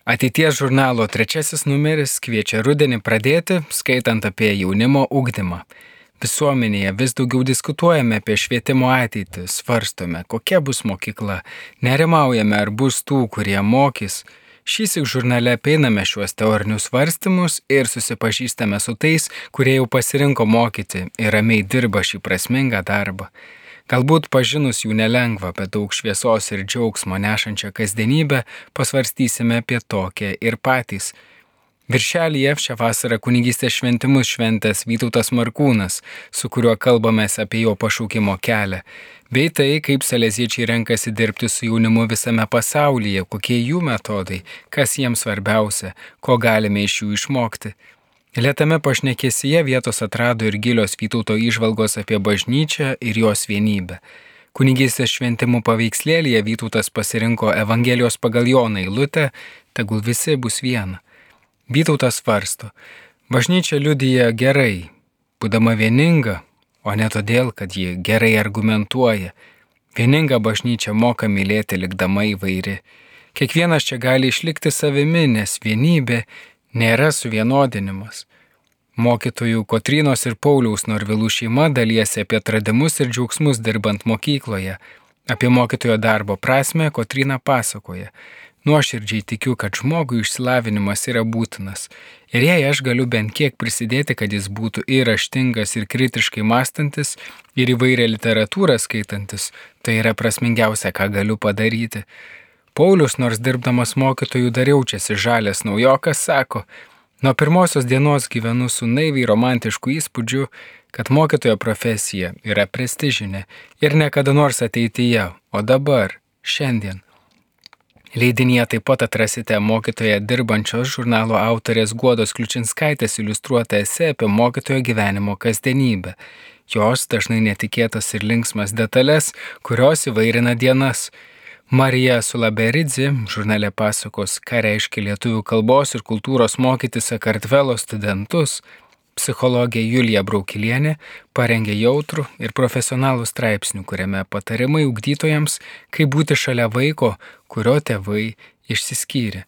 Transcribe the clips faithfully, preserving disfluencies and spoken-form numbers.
Ateities žurnalo trečiasis numeris kviečia rudenį pradėti, skaitant apie jaunimo ugdymą. Visuomenėje vis daugiau diskutuojame apie švietimo ateitį, svarstome, kokia bus mokykla, nerimaujame, ar bus tų, kurie mokys. Šįsyk žurnale apeiname šiuos teorinius svarstymus ir susipažįstame su tais, kurie jau pasirinko mokyti ir ramiai dirba šį prasmingą darbą. Galbūt pažinus jų nelengva, bet daug šviesos ir džiaugsmo nešančią kasdienybę pasvarstysime apie tokią ir patys. Viršelyje šią vasarą kunigystės šventimus šventęs Vytautas Markūnas, su kuriuo kalbamės apie jo pašaukimo kelią, bei tai, kaip saleziečiai renkasi dirbti su jaunimu visame pasaulyje, kokie jų metodai, kas jiems svarbiausia, ko galime iš jų išmokti. Lėtame pašnekėsyje vietos atrado ir gilios Vytauto įžvalgos apie bažnyčią ir jos vienybę. Kunigystės šventimų paveikslėlyje Vytautas pasirinko Evangelijos pagal Joną eilutę, tegul visi bus viena. Vytautas svarsto, bažnyčia liudija gerai, būdama vieninga, o ne todėl, kad ji gerai argumentuoja. Vieninga bažnyčia moka mylėti likdama įvairi. Kiekvienas čia gali išlikti savimi, nes vienybė nėra suvienodinimas. Mokytojų Kotrynos ir Pauliaus Norvilų šeima dalijasi apie atradimus ir džiaugsmus dirbant mokykloje. Apie mokytojo darbo prasmę Kotryna pasakoja. Nuoširdžiai tikiu, kad žmogui išsilavinimas yra būtinas. Ir jei aš galiu bent kiek prisidėti, kad jis būtų ir raštingas, ir kritiškai mąstantis, ir įvairią literatūrą skaitantis, tai yra prasmingiausia, ką galiu padaryti. Paulius, nors dirbdamas mokytojų dar jaučiasi žalias naujokas, sako, nuo pirmosios dienos gyvenu su naiviai romantišku įspūdžiu, kad mokytojo profesija yra prestižinė ir nekada nors ateityje, o dabar, šiandien. Leidinyje taip pat atrasite mokytoje dirbančios žurnalo autorės Guodos Kliučinskaitės iliustruotą esė apie mokytojo gyvenimo kasdienybę. Jos dažnai netikėtas ir linksmas detalės, kurios įvairina dienas. Marija Sulaberidzi žurnale pasakos, ką reiškia lietuvių kalbos ir kultūros mokyti Sakartvelo studentus. Psichologė Julija Braukilienė parengė jautrų ir profesionalų straipsnių, kuriame patarimai ugdytojams, kaip būti šalia vaiko, kurio tėvai išsiskyrė.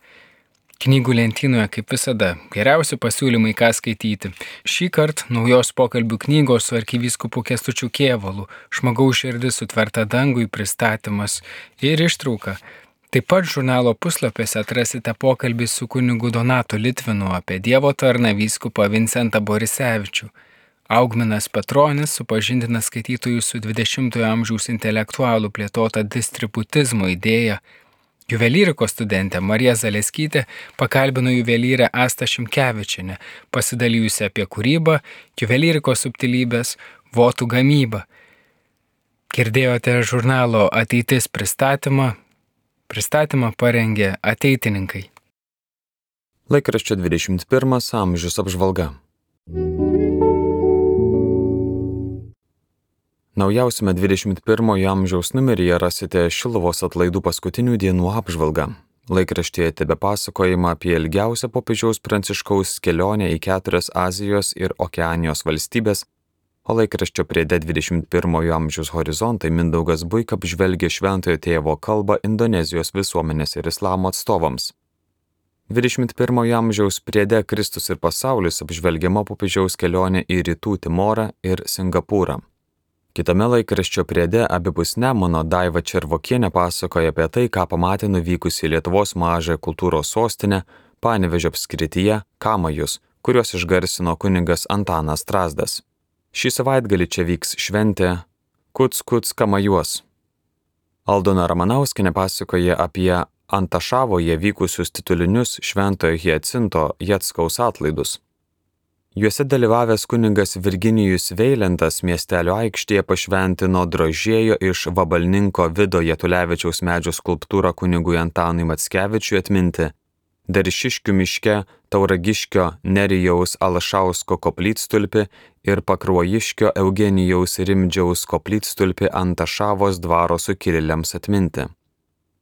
Knygų lentynoje, kaip visada, geriausi pasiūlymai, ką skaityti. Šįkart naujos pokalbių knygos su arkivyskupu Kęstučiu Kėvalu, Žmogaus širdis sutverta dangui pristatymas ir ištrauka. Taip pat žurnalo puslapiuose atrasite pokalbį su kunigu Donatu Litvinu apie Dievo tarną vyskupą Vincentą Borisevičių. Augminas Petronis supažindina skaitytojus su dvidešimtojo amžiaus intelektualų plėtota distributizmo idėja. Juvelyrikos studentė Marija Zaleskytė pakalbino juvelyrę Astą Šimkevičienę, pasidalijusi apie kūrybą, juvelyrikos subtilybės, votų gamybą. Girdėjote žurnalo Ateitis pristatymą. Pristatymą parengė ateitininkai. Laikraščio dvidešimt pirmas amžius apžvalga. Naujausiame dvidešimt pirmojo amžiaus numeryje rasite Šiluvos atlaidų paskutinių dienų apžvalgą. Laikraštyje tebepasakojama apie ilgiausią popiežiaus Pranciškaus kelionę į keturias Azijos ir Okeanijos valstybės, o laikraščio priede dvidešimt pirmojo amžiaus horizontai Mindaugas Buika apžvelgia šventojo tėvo kalbą Indonezijos visuomenės ir islamo atstovams. dvidešimt pirmojo amžiaus priede Kristus ir pasaulis apžvelgiama popiežiaus kelionė į Rytų Timorą ir Singapūrą. Kitame laikraščio priede abipus Nemuno Daiva Červokienė pasakoja apie tai, ką pamatė nuvykusi į Lietuvos mažąją kultūros sostinę Panevėžio apskrityje Kamajus, kuriuos išgarsino kunigas Antanas Strazdas. Šį savaitgalį čia vyks šventė Kuc Kuc Kamajuos. Aldona Ramanauskienė pasakoja apie Antašavoje vykusius titulinius šventojo Hiacinto Jackaus atlaidus. Juose dalyvavęs kunigas Virginijus Veilentas miestelio aikštėje pašventino drožėjo iš vabalninko Vido Jatulevičiaus medžio skulptūrą kunigui Antanui Mackevičiui atminti, Daršiškių miške Tauragiškio Nerijaus Alašausko koplytstulpį ir Pakruojiškio Eugenijaus Rimdžiaus koplytstulpį Antašavos dvaro sukilėliams atminti.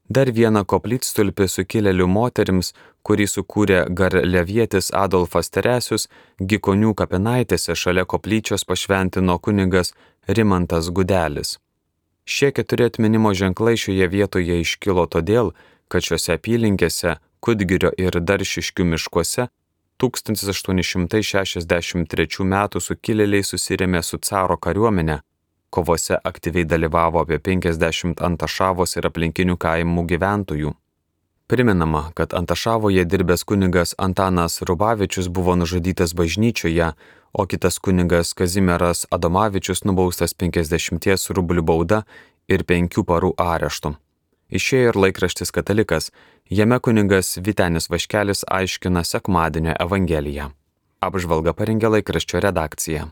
Dar vieną koplytstulpį sukilėlių moterims, kurį sukūrė garliavietis Adolfas Teresius, Gikonių kapinaitėse šalia koplyčios pašventino kunigas Rimantas Gudelis. Šie keturi atminimo ženklai šioje vietoje iškilo todėl, kad šiose apylinkėse Kudgirio ir Daršiškių miškuose tūkstantis aštuoni šimtai šešiasdešimt trečių metų sukilėliai susirėmė su caro kariuomenė. Kovose aktyviai dalyvavo apie penkiasdešimt Antašavos ir aplinkinių kaimų gyventojų. Primenama, kad Antašavoje dirbęs kunigas Antanas Rubavičius buvo nužudytas bažnyčioje, o kitas kunigas Kazimieras Adomavičius nubaustas penkiasdešimties rublių bauda ir penkių parų areštu. Išėjo ir laikraštis Katalikas, jame kunigas Vytenis Vaškelis aiškina sekmadienio evangeliją. Apžvalgą parengė laikraščio redakcija.